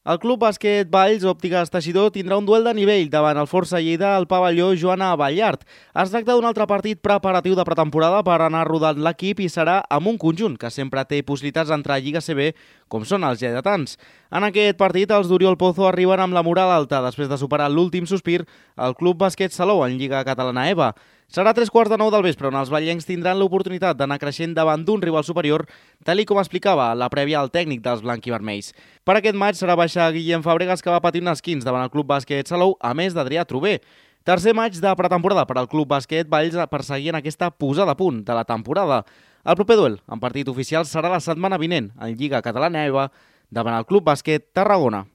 El Club Bàsquet Valls Òptiques Teixidor tindrà un duel de nivell davant el Força Lleida al pavelló Joana Ballart. Es tracta d'un altre partit preparatiu de pretemporada per anar rodant l'equip i serà amb un conjunt que sempre té possibilitats d'entrar a Lliga CB, com són els lleidatans. En aquest partit, els d'Oriol Pozo arriben amb la moral alta després de superar l'últim sospir al Club Bàsquet Salou en Lliga Catalana EVA. Serà 3:45 del vespre on els ballencs tindran l'oportunitat d'anar creixent davant d'un rival superior, tal com explicava la prèvia al tècnic dels blanquivermells. Per aquest maig serà baixar Guillem Fàbregas, que va patir un esquins davant el Club Bàsquet Salou, a més d'Adrià Trober. Tercer maig de pretemporada per al Club Bàsquet Valls per seguir en aquesta posada a punt de la temporada. El proper duel, en partit oficial, serà la setmana vinent en Lliga Catalana EVA davant el Club Bàsquet Tarragona.